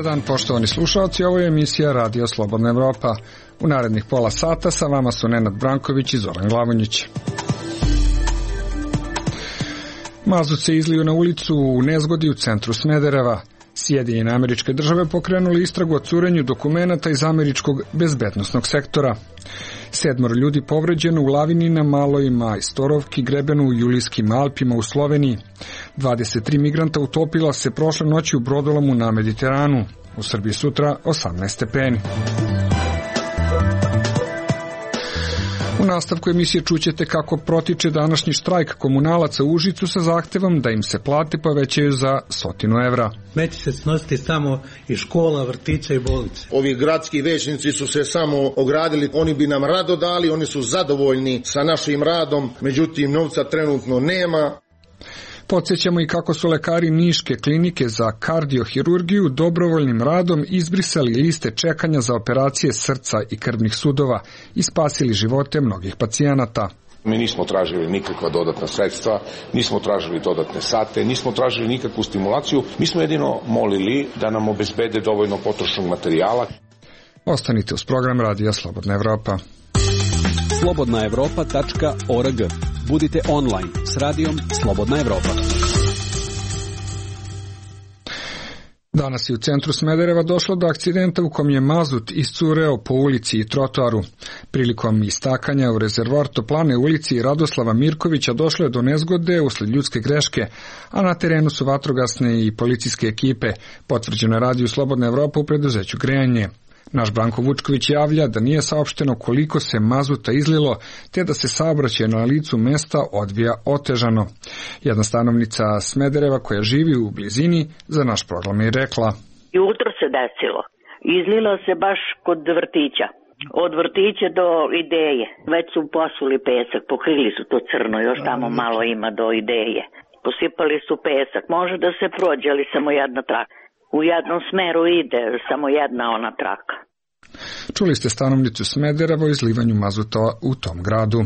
dan, poštovani slušalci, ovo je emisija Radio Slobodna Evropa. U narednih pola sata sa vama su Nenad Branković i Zoran Glavonjić. Mazut se izlio na ulicu u nezgodi u centru Smedereva. Sjedinjene Američke Države pokrenuli istragu o curenju dokumenata iz američkog bezbednosnog sektora. 7 ljudi povređeno u lavini na Maloj Majstorovki, grebenu u Julijskim Alpima u Sloveniji. 23 migranta utopila se prošle noći u brodolomu na Mediteranu. U Srbiji sutra 18 stepeni. U nastavku emisije čućete kako protiče današnji štrajk komunalaca u Užicu sa zahtevom da im se plate povećaju za 100 evra. Neće se snositi samo i škola, vrtića i bolnice. Ovi gradski većnici su se samo ogradili, oni bi nam rado dali, oni su zadovoljni sa našim radom, međutim novca trenutno nema. Podsjećamo i kako su lekari Niške klinike za kardiohirurgiju dobrovoljnim radom izbrisali liste čekanja za operacije srca i krvnih sudova i spasili živote mnogih pacijenata. Mi nismo tražili nikakva dodatna sredstva, nismo tražili dodatne sate, nismo tražili nikakvu stimulaciju, mi smo jedino molili da nam obezbede dovoljno potrošnog materijala. Ostanite uz program Radija Slobodna Evropa. slobodnaevropa.org. Budite online s radijom Slobodna Evropa. Danas je u centru Smedereva došlo do akcidenta u kom je mazut iscureo po ulici i trotoaru. Prilikom istakanja u rezervoar toplane ulici Radoslava Mirkovića došlo je do nezgode usled ljudske greške, a na terenu su vatrogasne i policijske ekipe, potvrđeno je Radiju Slobodna Evropa u preduzeću Grejanje. Naš Branko Vučković javlja da nije saopšteno koliko se mazuta izlilo, te da se saobraćaj na licu mesta odvija otežano. Jedna stanovnica Smedereva koja živi u blizini za naš program je rekla: Jutro se desilo. Izlilo se baš kod vrtića. Od vrtića do Ideje. Već su posuli pesak, pokrili su to crno, još tamo malo ima do Ideje. Posipali su pesak. Može da se prođe, ali samo jedna traka. U jednom smeru ide, samo jedna ona traka. Čuli ste stanovnicu Smedereva o izlivanju mazuta u tom gradu.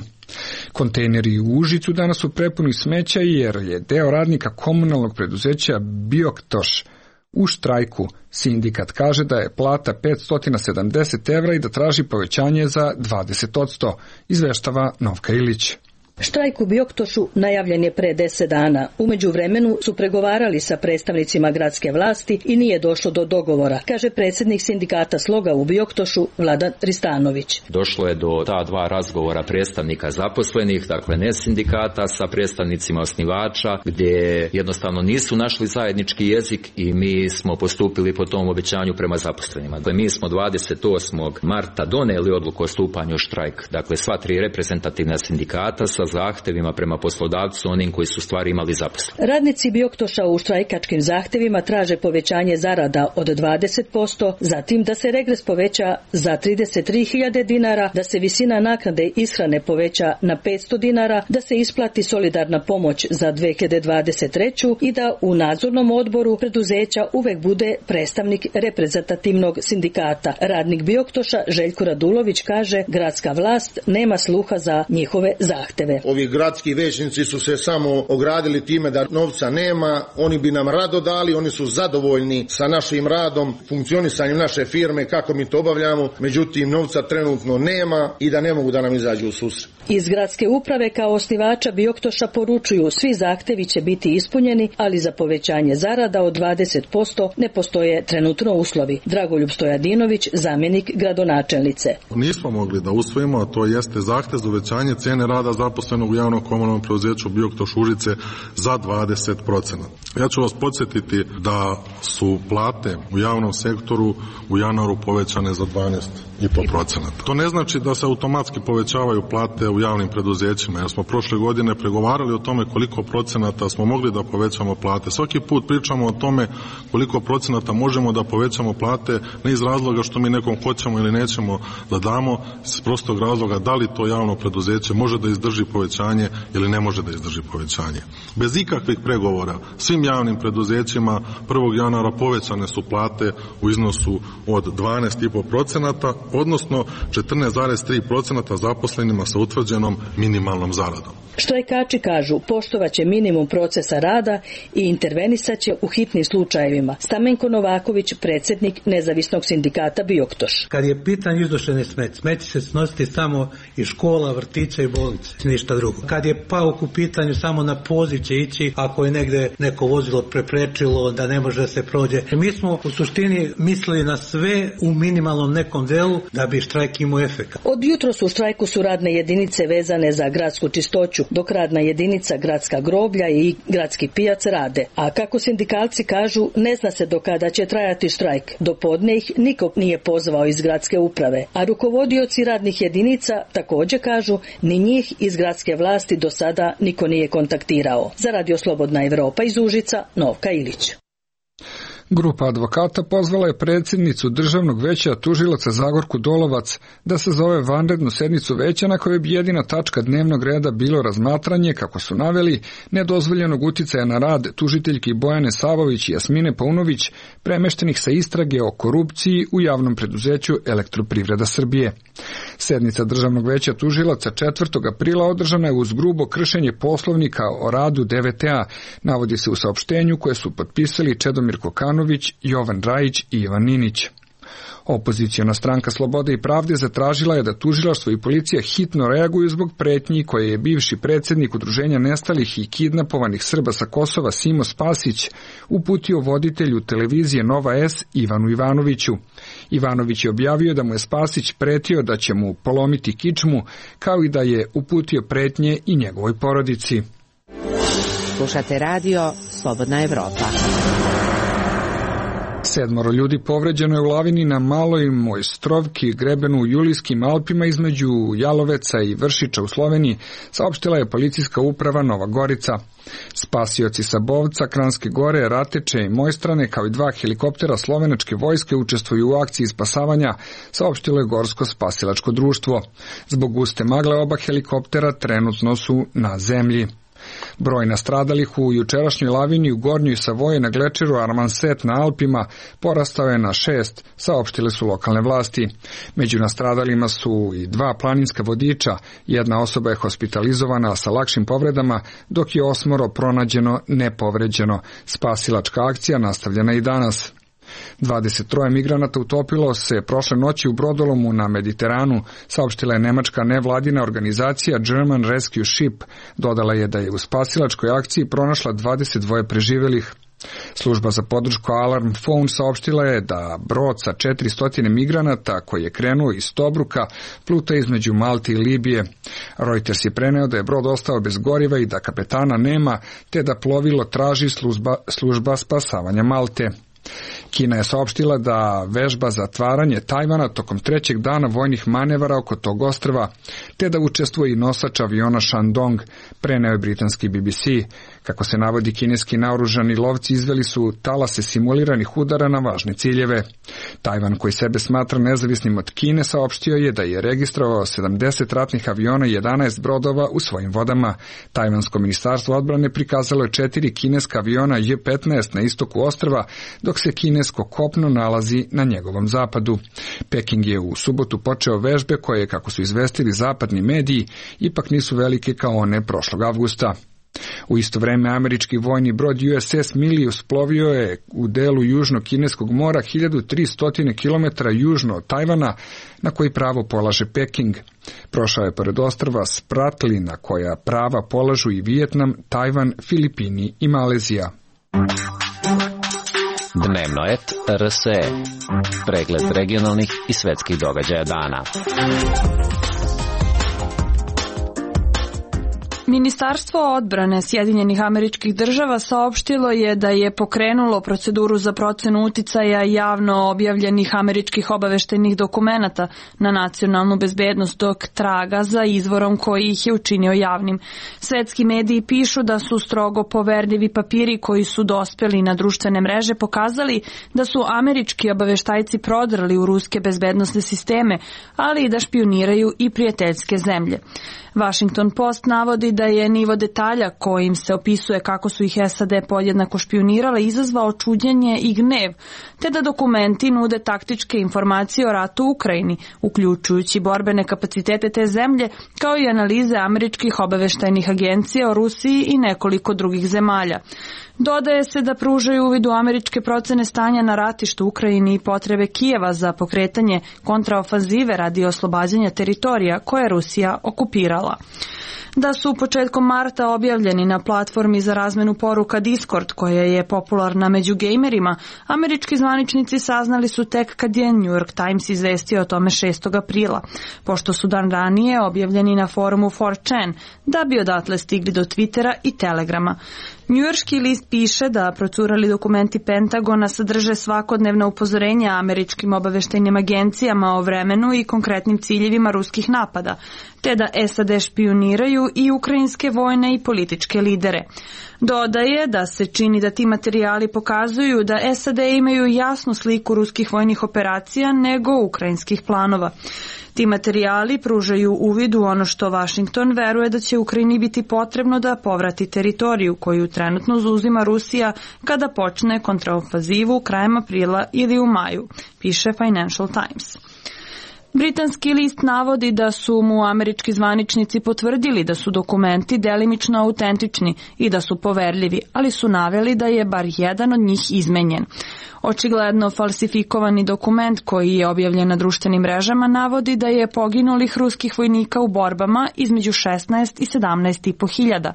Kontejneri u Užicu danas su prepuni smeća jer je deo radnika komunalnog preduzeća Bioktoš u štrajku. Sindikat kaže da je plata 570 evra i da traži povećanje za 20%, izveštava Novka Ilić. Štrajk u Bioktošu najavljen je pre 10 dana. U međuvremenu su pregovarali sa predstavnicima gradske vlasti i nije došlo do dogovora, kaže predsjednik sindikata Sloga u Bioktošu Vladan Ristanović. Došlo je do ta dva razgovora predstavnika zaposlenih, dakle ne sindikata, sa predstavnicima osnivača, gdje jednostavno nisu našli zajednički jezik i mi smo postupili po tom obećanju prema zaposlenima. Dakle, mi smo 28. marta doneli odluku o stupanju u štrajk. Dakle, sva 3 reprezentativna sindikata sa zahtevima prema poslodavcu, onim koji su stvari imali zaposleni. Radnici Bioktoša u štrajkačkim zahtevima traže povećanje zarada od 20%, zatim da se regres poveća za 33.000 dinara, da se visina naknade ishrane poveća na 500 dinara, da se isplati solidarna pomoć za 2023. i da u nadzornom odboru preduzeća uvek bude predstavnik reprezentativnog sindikata. Radnik Bioktoša Željko Radulović kaže gradska vlast nema sluha za njihove zahteve. Ovi gradski većnici su se samo ogradili time da novca nema, oni bi nam rado dali, oni su zadovoljni sa našim radom, funkcionisanjem naše firme, kako mi to obavljamo, međutim novca trenutno nema i da ne mogu da nam izađu u susret. Iz gradske uprave kao osnivača Bioktoša poručuju svi zahtevi će biti ispunjeni, ali za povećanje zarada od 20% ne postoje trenutno uslovi. Dragoljub Stojadinović, zamjenik gradonačelnice. Nismo mogli da usvojimo, a to jeste zahtev za uvećanje cijene rada zaposlenog u javnom komunalnom preduzeću Bioktoš Užice za 20%. Ja ću vas podsjetiti da su plate u javnom sektoru u januaru povećane za 12,5%. To ne znači da se automatski povećavaju plate u javnim preduzećima, jer smo prošle godine pregovarali o tome koliko procenata smo mogli da povećamo plate. Svaki put pričamo o tome koliko procenata možemo da povećamo plate, ne iz razloga što mi nekom hoćemo ili nećemo da damo, iz prostog razloga da li to javno preduzeće može da izdrži povećanje ili ne može da izdrži povećanje. Bez ikakvih pregovora svim javnim preduzećima 1. januara povećane su plate u iznosu od 12,5%, odnosno 14,3% zaposlenima sa utvrđenom minimalnom zaradom. Štrajkači kažu poštovaće minimum procesa rada i intervenisaće u hitnim slučajevima. Stamenko Novaković, predsjednik nezavisnog sindikata Bioktoš. Kad je pitanje iznošenje smeće se snositi samo iz škola, vrtića i bolnice, ništa drugo. Kad je pauk u pitanju, samo na poziv će ići ako je negde neko vozilo preprečilo da ne može da se prođe. Mi smo u suštini mislili na sve u minimalnom nekom delu da bi štrajk imao efekt. Od jutros u štrajku su radne jedinice vezane za gradsku čistoću, dok radna jedinica gradska groblja i gradski pijac rade. A kako sindikalci kažu, ne zna se do kada će trajati štrajk. Do podne ih niko nije pozvao iz gradske uprave. A rukovodioci radnih jedinica također kažu, ni njih iz gradske vlasti do sada niko nije kontaktirao. Za Radio Slobodna Evropa iz Užica, Novka Ilić. Grupa advokata pozvala je predsjednicu Državnog veća tužilaca Zagorku Dolovac da se zove vanrednu sednicu veća na kojoj bi jedina tačka dnevnog reda bilo razmatranje, kako su naveli, nedozvoljenog uticaja na rad tužiteljki Bojane Savović i Jasmine Paunović, premeštenih sa istrage o korupciji u javnom preduzeću Elektroprivreda Srbije. Sednica Državnog veća tužilaca 4. aprila održana je uz grubo kršenje poslovnika o radu DVTA, navodi se u saopštenju koje su potpisali Čedomir Kokanović, Jovan Rajić i Ivan Ninić. Opoziciona stranka Slobode i pravde zatražila je da tužilaštvo i policija hitno reaguju zbog pretnji koje je bivši predsjednik Udruženja nestalih i kidnapovanih Srba sa Kosova Simo Spasić uputio voditelju televizije Nova S Ivanu Ivanoviću. Ivanović je objavio da mu je Spasić pretio da će mu polomiti kičmu, kao i da je uputio pretnje i njegovoj porodici. Slušate radio Slobodna Evropa. 7 ljudi povređeno je u lavini na Maloj Mojstrovki, grebenu u Julijskim Alpima između Jaloveca i Vršiča u Sloveniji, saopštila je policijska uprava Nova Gorica. Spasioci sa Bovca, Kranjske Gore, Rateče i Mojstrane, kao i 2 helikoptera slovenačke vojske učestvuju u akciji spasavanja, saopštilo je Gorsko spasilačko društvo. Zbog guste magle oba helikoptera trenutno su na zemlji. Broj nastradalih u jučerašnjoj lavini u Gornjoj Savoji na glečeru Armanset na Alpima porastao je na 6, saopštile su lokalne vlasti. Među nastradalima su i 2 planinska vodiča, jedna osoba je hospitalizovana sa lakšim povredama, dok je 8 pronađeno nepovređeno. Spasilačka akcija nastavljena i danas. 23 migranata utopilo se prošle noći u brodolomu na Mediteranu, saopštila je nemačka nevladina organizacija German Rescue Ship. Dodala je da je u spasilačkoj akciji pronašla 22 preživelih. Služba za podršku Alarm Phone saopštila je da brod sa 400 migranata koji je krenuo iz Tobruka pluta između Malte i Libije. Reuters je preneo da je brod ostao bez goriva i da kapetana nema, te da plovilo traži služba spasavanja Malte. Kina je saopštila da vežba zatvaranje Tajvana tokom 3. dana vojnih manevara oko tog ostrva, te da učestvuje i nosač aviona Shandong, preneo je britanski BBC. Kako se navodi, kineski naoružani lovci izveli su talase simuliranih udara na važne ciljeve. Tajvan, koji sebe smatra nezavisnim od Kine, saopštio je da je registrovao 70 ratnih aviona i 11 brodova u svojim vodama. Tajvansko ministarstvo odbrane prikazalo je 4 kineska aviona J-15 na istoku ostrva, dok se kinesko kopno nalazi na njegovom zapadu. Peking je u subotu počeo vežbe koje, kako su izvestili zapadni mediji, ipak nisu velike kao one prošlog avgusta. U isto vreme američki vojni brod USS Milius plovio je u delu južno-kineskog mora 1300 km južno od Tajvana, na koji pravo polaže Peking. Prošao je pored ostrva Spratly, na koja prava polažu i Vijetnam, Tajvan, Filipini i Malezija. Dnevnoet RSE. Pregled regionalnih i svetskih događaja dana. Ministarstvo odbrane Sjedinjenih Američkih Država saopštilo je da je pokrenulo proceduru za procenu uticaja javno objavljenih američkih obaveštajnih dokumenata na nacionalnu bezbednost dok traga za izvorom koji ih je učinio javnim. Svetski mediji pišu da su strogo poverljivi papiri koji su dospeli na društvene mreže pokazali da su američki obaveštajci prodrli u ruske bezbednosne sisteme, ali i da špijuniraju i prijateljske zemlje. Washington Post navodi da je nivo detalja kojim se opisuje kako su ih SAD podjednako špijunirale izazvao čuđenje i gnev, te da dokumenti nude taktičke informacije o ratu u Ukrajini, uključujući borbene kapacitete te zemlje, kao i analize američkih obaveštajnih agencija o Rusiji i nekoliko drugih zemalja. Dodaje se da pružaju uvid u američke procene stanja na ratištu u Ukrajini i potrebe Kijeva za pokretanje kontraofanzive radi oslobađanja teritorija koje je Rusija okupirala. Da su početkom marta objavljeni na platformi za razmenu poruka Discord, koja je popularna među gejmerima, američki zvaničnici saznali su tek kad je New York Times izvestio o tome 6. aprila, pošto su dan ranije objavljeni na forumu 4chan, da bi odatle stigli do Twittera i Telegrama. Njujorški list piše da procurali dokumenti Pentagona sadrže svakodnevna upozorenja američkim obaveštajnim agencijama o vremenu i konkretnim ciljevima ruskih napada, te da SAD špijuniraju i ukrajinske vojne i političke lidere. Dodaje da se čini da ti materijali pokazuju da SAD imaju jasnu sliku ruskih vojnih operacija nego ukrajinskih planova. Ti materijali pružaju uvid u ono što Washington veruje da će Ukrajini biti potrebno da povrati teritoriju koju trenutno zauzima Rusija kada počne kontraofanzivu krajem aprila ili u maju, piše Financial Times. Britanski list navodi da su mu američki zvaničnici potvrdili da su dokumenti delimično autentični i da su poverljivi, ali su naveli da je bar jedan od njih izmenjen. Očigledno falsifikovani dokument koji je objavljen na društvenim mrežama navodi da je poginulih ruskih vojnika u borbama između 16 i 17,5 hiljada,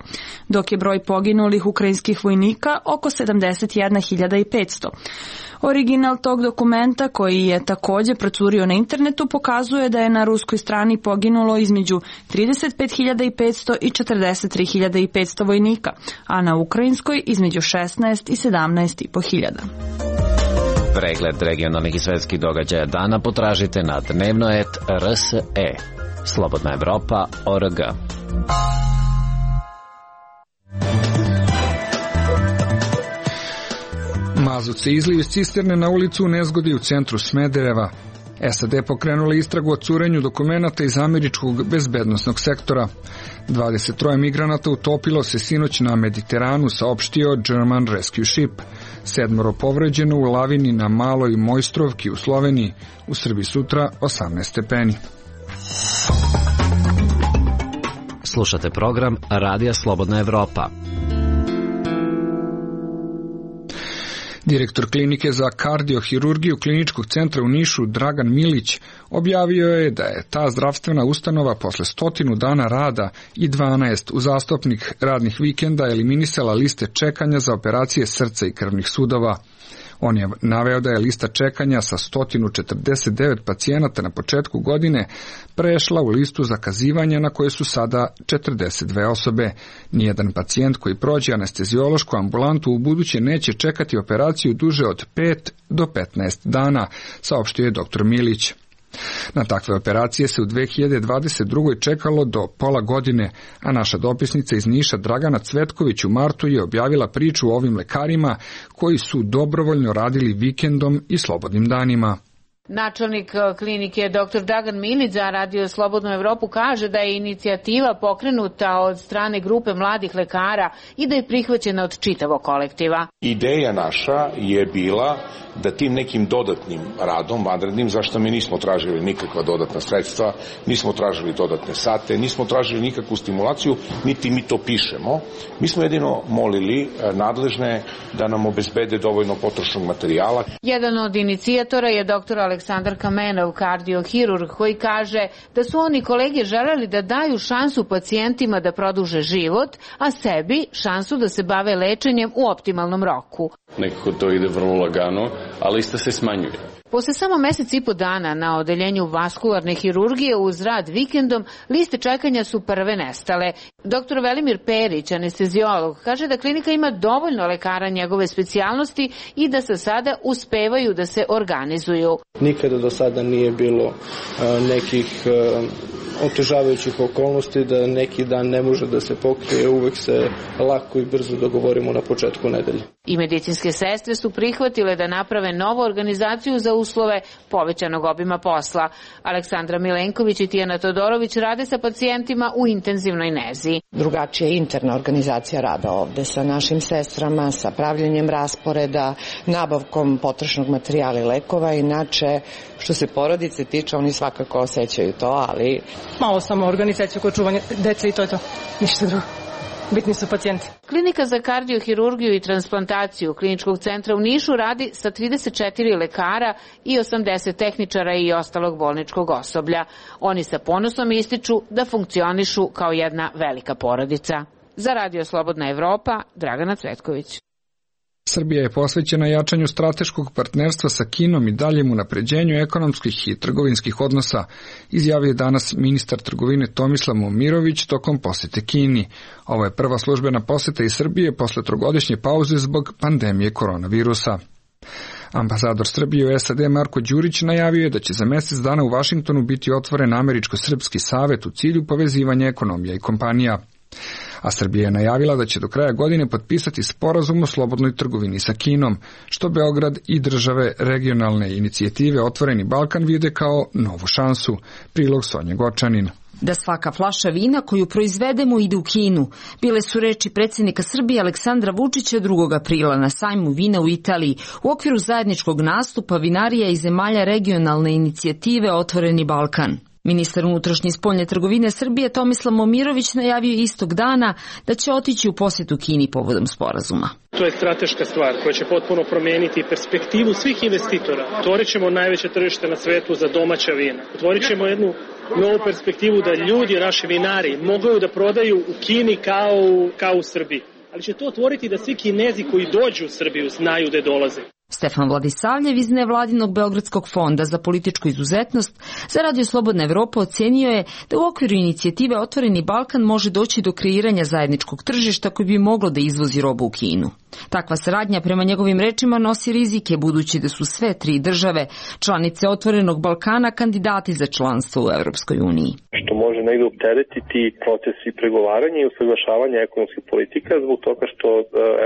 dok je broj poginulih ukrajinskih vojnika oko 71.500. Original tog dokumenta, koji je također procurio na internetu, pokazuje da je na ruskoj strani poginulo između 35.500 i 43.500 vojnika, a na ukrajinskoj između 16 i 17,5 hiljada. Pregled regionalnih i svetskih događaja dana potražite na dnevnoet.rse. Slobodna Evropa.org. Mazut se izlio iz cisterne na ulicu u nezgodi u centru Smedereva. SAD pokrenula istragu o curenju dokumenata iz američkog bezbednosnog sektora. 23 migranata utopilo se sinoć na Mediteranu, saopštio German Rescue Ship. 7 povređeno u lavini na Maloj Mojstrovki u Sloveniji. U Srbiji sutra 18 stepeni. Slušate program Radija Slobodna Evropa. Direktor klinike za kardiohirurgiju Kliničkog centra u Nišu Dragan Milić objavio je da je ta zdravstvena ustanova posle 100 dana rada i 12 uzastopnih radnih vikenda eliminisala liste čekanja za operacije srca i krvnih sudova. On je naveo da je lista čekanja sa 149 pacijenata na početku godine prešla u listu zakazivanja na koje su sada 42 osobe. Nijedan pacijent koji prođe anesteziološku ambulantu u buduće neće čekati operaciju duže od 5 do 15 dana, saopštio je dr. Milić. Na takve operacije se u 2022. čekalo do pola godine, a naša dopisnica iz Niša Dragana Cvetković u martu je objavila priču o ovim lekarima koji su dobrovoljno radili vikendom i slobodnim danima. Načelnik klinike dr. Dragan Milić za Radio Slobodnu Evropu kaže da je inicijativa pokrenuta od strane grupe mladih lekara i da je prihvaćena od čitavog kolektiva. Ideja naša je bila da tim nekim dodatnim radom, vanrednim, zašto mi nismo tražili nikakva dodatna sredstva, nismo tražili dodatne sate, nismo tražili nikakvu stimulaciju, niti mi to pišemo. Mi smo jedino molili nadležne da nam obezbede dovoljno potrošnog materijala. Jedan od inicijatora je dr. Aleksandar Kamenov, kardiohirurg, koji kaže da su oni kolege želeli da daju šansu pacijentima da produže život, a sebi šansu da se bave lečenjem u optimalnom roku. Nekako to ide vrlo lagano, ali lista se smanjuje. Posle samo mesec i po dana na odeljenju vaskularne hirurgije uz rad vikendom, liste čekanja su prve nestale. Dr. Velimir Perić, anesteziolog, kaže da klinika ima dovoljno lekara njegove specijalnosti i da sa sada uspevaju da se organizuju. Nikada do sada nije bilo nekih otežavajućih okolnosti da neki dan ne može da se pokrije, uvek se lako i brzo dogovorimo na početku nedelje. I medicinske sestre su prihvatile da naprave novu organizaciju za uslove povećanog obima posla. Aleksandra Milenković i Tijana Todorović rade sa pacijentima u intenzivnoj nezi. Drugačija je interna organizacija rada ovde sa našim sestrama, sa pravljenjem rasporeda, nabavkom potrošnog materijala i lekova. Inače, što se porodice tiče, oni svakako osjećaju to, ali... Malo samo organizacija koja čuvanja dece i to je to, ništa drugo. Bitni su pacijenti. Klinika za kardiohirurgiju i transplantaciju Kliničkog centra u Nišu radi sa 34 lekara i 80 tehničara i ostalog bolničkog osoblja. Oni sa ponosom ističu da funkcionišu kao jedna velika porodica. Za Radio Slobodna Evropa, Dragana Cvetković. Srbija je posvećena jačanju strateškog partnerstva sa Kinom i daljem unapređenju ekonomskih i trgovinskih odnosa, izjavio danas ministar trgovine Tomislav Momirović tokom posete Kini. Ovo je prva službena poseta iz Srbije posle trogodišnje pauze zbog pandemije koronavirusa. Ambasador Srbije u SAD Marko Đurić najavio je da će za mesec dana u Vašingtonu biti otvoren Američko-srpski savet u cilju povezivanja ekonomija i kompanija. A Srbija je najavila da će do kraja godine potpisati sporazum o slobodnoj trgovini sa Kinom, što Beograd i države regionalne inicijative Otvoreni Balkan vide kao novu šansu. Prilog Sonja Gočanin. Da svaka flaša vina koju proizvedemo ide u Kinu. Bile su reči predsjednika Srbije Aleksandra Vučića 2. aprila na sajmu vina u Italiji u okviru zajedničkog nastupa vinarija i zemalja regionalne inicijative Otvoreni Balkan. Ministar unutrašnje i spoljne trgovine Srbije Tomislav Momirović najavio istog dana da će otići u posjetu Kini povodom sporazuma. To je strateška stvar koja će potpuno promijeniti perspektivu svih investitora. Otvorit ćemo najveće tržište na svetu za domaća vina. Otvorit ćemo jednu novu perspektivu da ljudi, naši vinari, mogu da prodaju u Kini kao u Srbiji. Ali će to otvoriti da svi Kinezi koji dođu u Srbiju znaju da dolaze. Stefan Vladisavljev iz nevladinog Beogradskog fonda za političku izuzetnost za Radio Slobodna Evropa ocenio je da u okviru inicijative Otvoreni Balkan može doći do kreiranja zajedničkog tržišta koji bi moglo da izvozi robu u Kinu. Takva saradnja prema njegovim rečima nosi rizike budući da su sve tri države, članice Otvorenog Balkana, kandidati za članstvo u Evropskoj uniji. Što može negde opteretiti proces i pregovaranja i usaglašavanja ekonomskih politika zbog toga što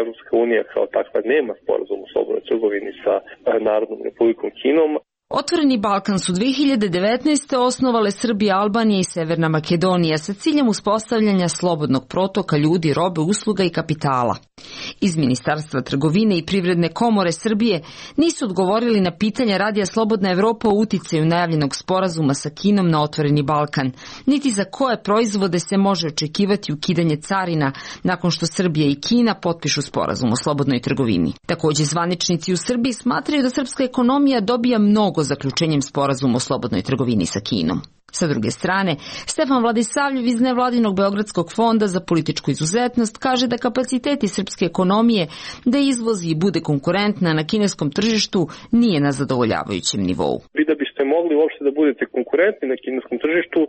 Evropska unija kao takva nema sporazum o slobodnoj trgovini sa Narodnom Republikom Kinom. Otvoreni Balkan su 2019. osnovale Srbija, Albanija i Severna Makedonija sa ciljem uspostavljanja slobodnog protoka ljudi, robe, usluga i kapitala. Iz Ministarstva trgovine i Privredne komore Srbije nisu odgovorili na pitanja Radija Slobodna Evropa o uticaju najavljenog sporazuma sa Kinom na Otvoreni Balkan, niti za koje proizvode se može očekivati ukidanje carina nakon što Srbija i Kina potpišu sporazum o slobodnoj trgovini. Takođe, zvaničnici u Srbiji smatraju da srpska ekonomija dobija mnogo zaključenjem sporazuma o slobodnoj trgovini sa Kinom. Sa druge strane, Stefan Vladisavljev iz nevladinog Beogradskog fonda za političku izuzetnost kaže da kapaciteti srpske ekonomije da izvozi i bude konkurentna na kineskom tržištu nije na zadovoljavajućem nivou. Vi da biste mogli uopšte da budete konkurentni na kineskom tržištu,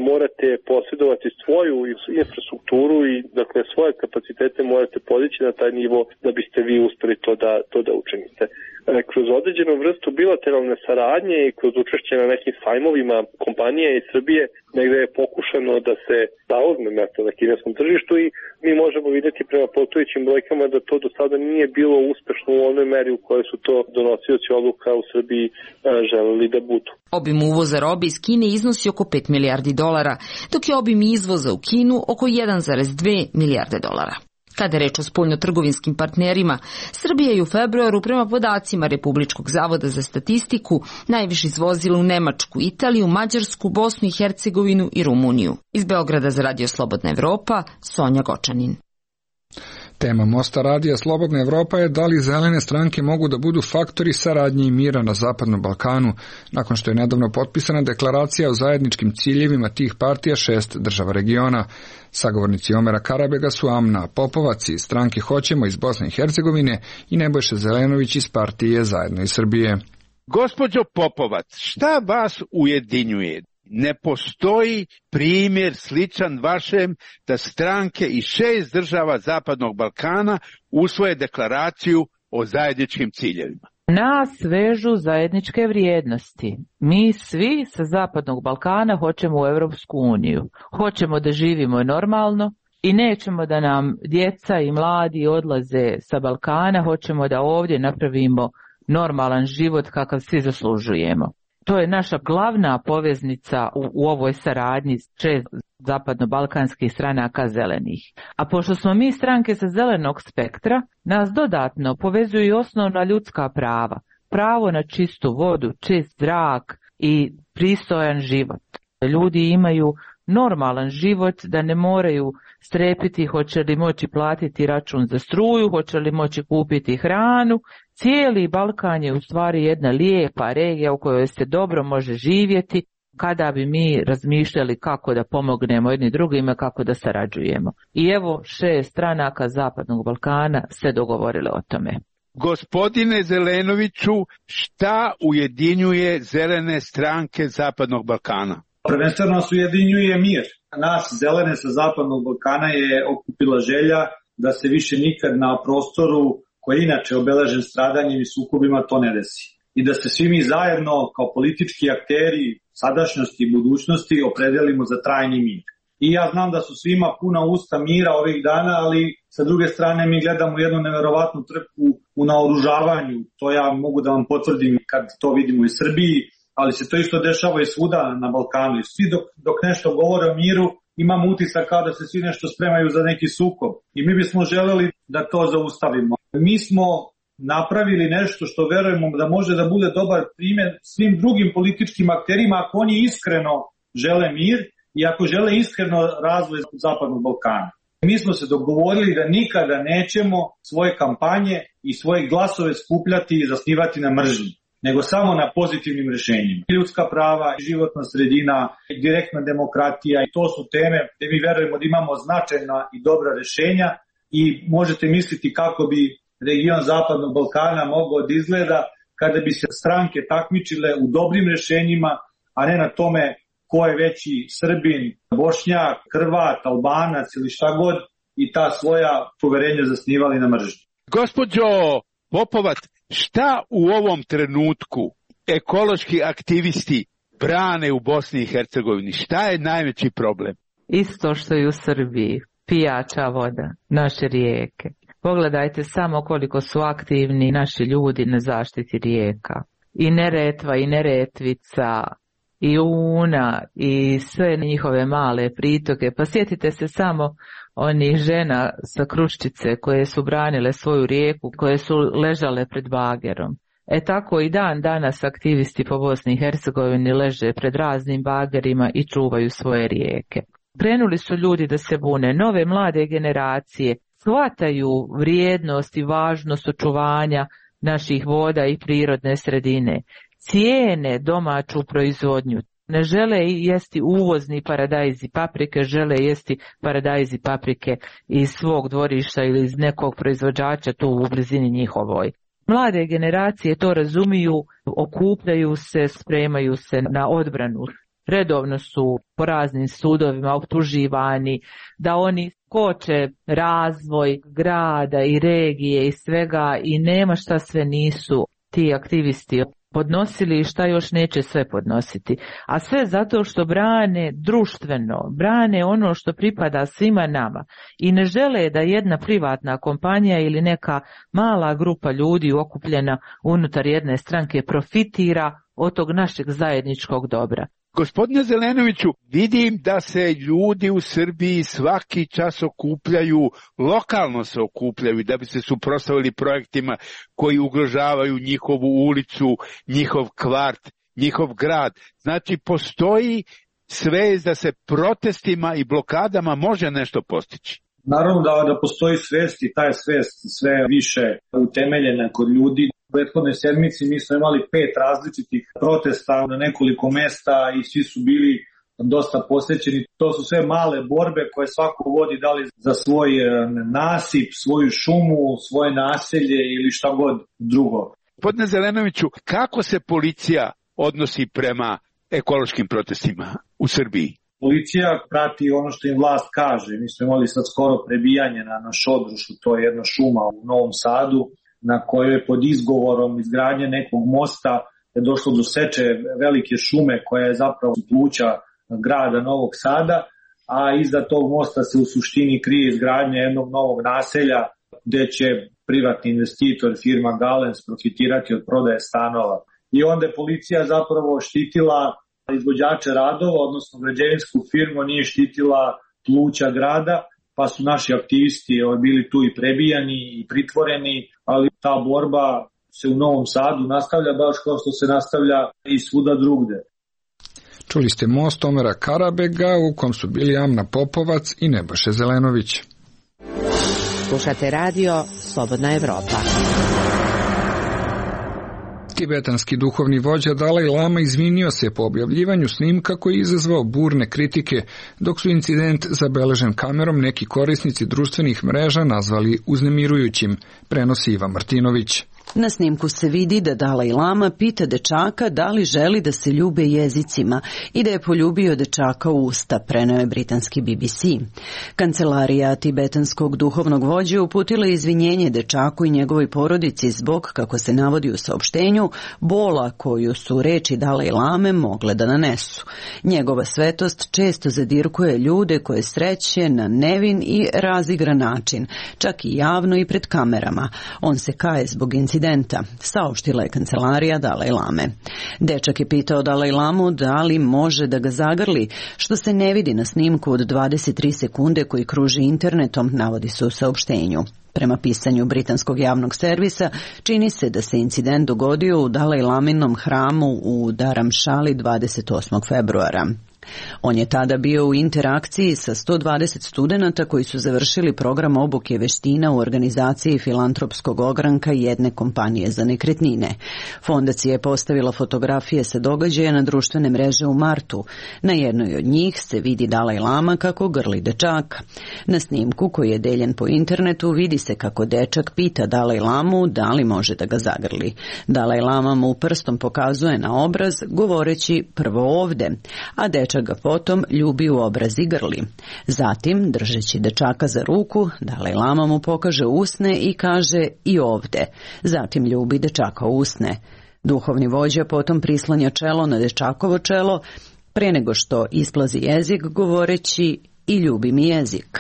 morate posjedovati svoju infrastrukturu i dakle svoje kapacitete morate podići na taj nivo da biste vi uspeli to da učinite. Kroz određenu vrstu bilateralne saradnje i kroz učešće na nekim sajmovima kompanije iz Srbije negde je pokušano da se zauzme mesto na kineskom tržištu i mi možemo vidjeti prema postojećim brojkama da to do sada nije bilo uspešno u onoj meri u kojoj su to donosioci odluka u Srbiji želeli da budu. Obim uvoza robe iz Kine iznosi oko 5 milijardi dolara, dok je obim izvoza u Kinu oko 1,2 milijarde dolara. Kada je reč o spoljnotrgovinskim partnerima, Srbija je u februaru prema podacima Republičkog zavoda za statistiku najviše izvozila u Nemačku, Italiju, Mađarsku, Bosnu i Hercegovinu i Rumuniju. Iz Beograda za Radio Slobodna Evropa, Sonja Gočanin. Tema Mosta Radija Slobodna Evropa je da li zelene stranke mogu da budu faktori saradnje i mira na Zapadnom Balkanu, nakon što je nedavno potpisana deklaracija o zajedničkim ciljevima tih partija 6 država regiona. Sagovornici Omera Karabega su Amna Popovac iz stranke Hoćemo iz Bosne i Hercegovine i Nebojša Zelenović iz partije Zajedno iz Srbije. Gospođo Popovac, šta vas ujedinjuje? Ne postoji primjer sličan vašem da stranke iz 6 država Zapadnog Balkana usvoje deklaraciju o zajedničkim ciljevima. Nas vežu zajedničke vrijednosti. Mi svi sa Zapadnog Balkana hoćemo u Europsku uniju. Hoćemo da živimo normalno i nećemo da nam djeca i mladi odlaze sa Balkana. Hoćemo da ovdje napravimo normalan život kakav svi zaslužujemo. To je naša glavna poveznica u ovoj saradnji s 6 zapadno-balkanskih stranaka zelenih. A pošto smo mi stranke sa zelenog spektra, nas dodatno povezuju i osnovna ljudska prava. Pravo na čistu vodu, čist zrak i pristojan život. Ljudi imaju normalan život, da ne moraju strepiti hoće li moći platiti račun za struju, hoće li moći kupiti hranu. Cijeli Balkan je u stvari jedna lijepa regija u kojoj se dobro može živjeti kada bi mi razmišljali kako da pomognemo jedni drugima, kako da sarađujemo. I evo 6 stranaka Zapadnog Balkana se dogovorile o tome. Gospodine Zelenoviću, šta ujedinjuje zelene stranke Zapadnog Balkana? Prvenstveno nas ujedinjuje mir. Nas zelene sa Zapadnog Balkana je okupila želja da se više nikad na prostoru koji je inače obeležen stradanjem i sukobima to ne desi. I da se svi mi zajedno kao politički akteri sadašnjosti i budućnosti opredelimo za trajni mir. I ja znam da su svima puna usta mira ovih dana, ali sa druge strane mi gledamo jednu neverovatnu trku u naoružavanju. To ja mogu da vam potvrdim kad to vidimo u Srbiji, ali se to isto dešava i svuda na Balkanu. I svi dok nešto govore o miru, imamo utisak kao da se svi nešto spremaju za neki sukob. I mi bismo želeli da to zaustavimo. Mi smo napravili nešto što verujemo da može da bude dobar primjer svim drugim političkim akterima ako oni iskreno žele mir i ako žele iskreno razvoj Zapadnog Balkana. Mi smo se dogovorili da nikada nećemo svoje kampanje i svoje glasove skupljati i zasnivati na mržnji, nego samo na pozitivnim rješenjima. Ljudska prava, životna sredina, direktna demokratija i to su teme gdje mi verujemo da imamo značajna i dobra rješenja i možete misliti kako bi region Zapadnog Balkana mogao da izgleda kada bi se stranke takmičile u dobrim rješenjima, a ne na tome ko je veći Srbin, Bošnjak, Hrvat, Albanac ili šta god i ta svoja poverenja zasnivali na mržnji. Gospođo Popovac, šta u ovom trenutku ekološki aktivisti brane u Bosni i Hercegovini? Šta je najveći problem? Isto što i u Srbiji, pijača voda, naše rijeke. Pogledajte samo koliko su aktivni naši ljudi na zaštiti rijeka. I Neretva, i Neretvica, i Una, i sve njihove male pritoke. Pa sjetite se samo onih žena sa Kruščice koje su branile svoju rijeku, koje su ležale pred bagerom. Tako i dan danas aktivisti po Bosni i Hercegovini leže pred raznim bagerima i čuvaju svoje rijeke. Krenuli su ljudi da se bune, nove mlade generacije shvataju vrijednost i važnost očuvanja naših voda i prirodne sredine. Cijene domaću proizvodnju. Ne žele jesti uvozni paradajz i paprike, žele jesti paradajz i paprike iz svog dvorišta ili iz nekog proizvođača tu u blizini njihovoj. Mlade generacije to razumiju, okupljaju se, spremaju se na odbranu. Redovno su po raznim sudovima optuživani da oni koče razvoj grada i regije i svega i nema šta sve nisu ti aktivisti podnosili i šta još neće sve podnositi. A sve zato što brane društveno, brane ono što pripada svima nama i ne žele da jedna privatna kompanija ili neka mala grupa ljudi okupljena unutar jedne stranke profitira od tog našeg zajedničkog dobra. Gospodine Zelenoviću, vidim da se ljudi u Srbiji svaki čas okupljaju, lokalno se okupljaju da bi se suprotstavili projektima koji ugrožavaju njihovu ulicu, njihov kvart, njihov grad. Znači, postoji svest da se protestima i blokadama može nešto postići. Naravno da postoji svest i ta je svest sve više utemeljena kod ljudi. U prethodnoj sedmici mi smo imali 5 različitih protesta na nekoliko mesta i svi su bili dosta posvećeni. To su sve male borbe koje svako vodi da li za svoj nasip, svoju šumu, svoje naselje ili šta god drugo. Gospodine Zelenoviću, kako se policija odnosi prema ekološkim protestima u Srbiji? Policija prati ono što im vlast kaže. Mi smo imali sad skoro prebijanje na Šodrušu, to je jedna šuma u Novom Sadu, na kojoj je pod izgovorom izgradnje nekog mosta je došlo do seče velike šume koja je zapravo pluća grada Novog Sada, a iza tog mosta se u suštini krije izgradnja jednog novog naselja gde će privatni investitor, firma Galens, profitirati od prodaje stanova. I onda je policija zapravo štitila izvođače radova, odnosno građevinsku firmu, nije štitila pluća grada, pa su naši aktivisti bili tu i prebijani i pritvoreni, ali ta borba se u Novom Sadu nastavlja baš kao što se nastavlja i svuda drugde. Čuli ste Most Omera Karabega u kom su bili Amna Popovac i Nebojša Zelenović. Slušate radio Slobodna Evropa. Tibetanski duhovni vođa Dalaj Lama izvinio se po objavljivanju snimka koji je izazvao burne kritike, dok su incident zabeležen kamerom neki korisnici društvenih mreža nazvali uznemirujućim, prenosi Iva Martinović. Na snimku se vidi da Dalaj Lama pita dečaka da li želi da se ljube jezicima i da je poljubio dečaka u usta, preneo je britanski BBC. Kancelarija tibetanskog duhovnog vođe uputila izvinjenje dečaku i njegovoj porodici zbog, kako se navodi u saopštenju, bola koju su reči Dalaj Lame mogle da nanesu. Njegova svetost često zadirkuje ljude koje sreće na nevin i razigran način, čak i javno i pred kamerama. On se kaje zbog incidenta, saopštila je kancelarija Dalaj Lame. Dečak je pitao Dalaj Lamu da li može da ga zagrli, što se ne vidi na snimku od 23 sekunde koji kruži internetom, navodi se u saopštenju. Prema pisanju britanskog javnog servisa, čini se da se incident dogodio u Dalaj Laminom hramu u Dharamšali 28. februara. On je tada bio u interakciji sa 120 studenata koji su završili program obuke veština u organizaciji filantropskog ogranka jedne kompanije za nekretnine. Fondacija je postavila fotografije sa događaja na društvene mreže u martu. Na jednoj od njih se vidi Dalaj Lama kako grli dečaka. Na snimku koji je deljen po internetu vidi se kako dečak pita Dalaj Lamu da li može da ga zagrli. Dalaj Lama mu prstom pokazuje na obraz govoreći prvo ovde, a dečak ga potom ljubi u obraz i grli. Zatim, držeći dečaka za ruku, Dalaj Lama mu pokaže usne i kaže i ovde. Zatim ljubi dečaka u usne. Duhovni vođa potom prislanja čelo na dečakovo čelo, pre nego što isplazi jezik govoreći i ljubi mi jezik.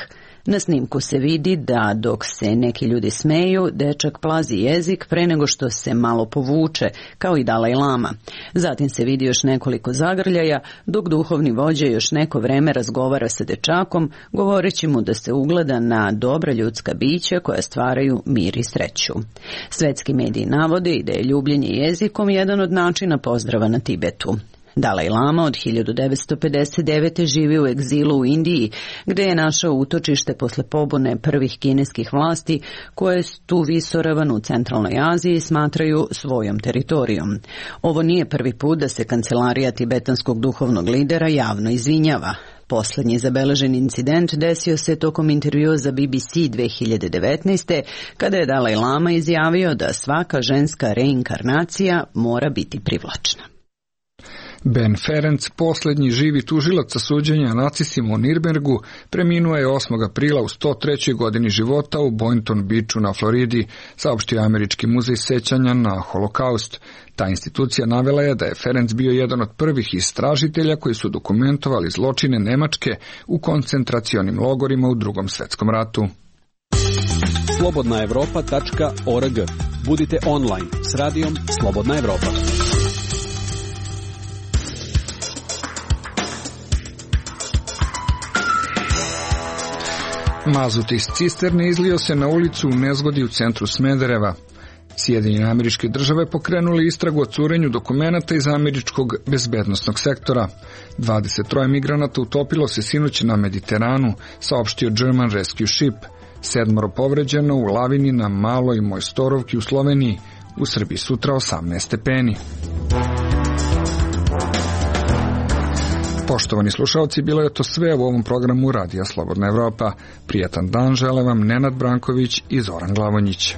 Na snimku se vidi da dok se neki ljudi smeju, dečak plazi jezik pre nego što se malo povuče, kao i Dalaj Lama. Zatim se vidi još nekoliko zagrljaja, dok duhovni vođa još neko vreme razgovara sa dečakom, govoreći mu da se ugleda na dobra ljudska bića koja stvaraju mir i sreću. Svetski mediji navode i da je ljubljenje jezikom jedan od načina pozdrava na Tibetu. Dalaj Lama od 1959. živi u egzilu u Indiji, gde je našao utočište posle pobune prvih kineskih vlasti, koje tu visoravan u centralnoj Aziji smatraju svojom teritorijom. Ovo nije prvi put da se kancelarija tibetanskog duhovnog lidera javno izvinjava. Poslednji zabeležen incident desio se tokom intervjua za BBC 2019. kada je Dalaj Lama izjavio da svaka ženska reinkarnacija mora biti privlačna. Ben Ferenc, poslednji živi tužilac sa suđenja nacistima u Nirnbergu, preminuo je 8. aprila u 103. godini života u Boynton Beachu na Floridi, saopštio Američki muzej sećanja na Holokaust. Ta institucija navela je da je Ferenc bio jedan od prvih istražitelja koji su dokumentovali zločine Nemačke u koncentracionim logorima u Drugom svetskom ratu. slobodnaevropa.org. Budite online s radijom Slobodna Evropa. Mazut iz cisterne izlio se na ulicu u nezgodi u centru Smedereva. Sjedinjene Američke Države pokrenuli istragu o curenju dokumenata iz američkog bezbednosnog sektora. 23 migranata utopilo se sinoć na Mediteranu, saopštio German Rescue Ship. 7 povređeno u lavini na Maloj Mojstorovki u Sloveniji. U Srbiji sutra 18 stepeni. Poštovani slušalci, bilo je to sve u ovom programu Radija Slobodna Evropa. Prijatan dan žele vam Nenad Branković i Zoran Glavonjić.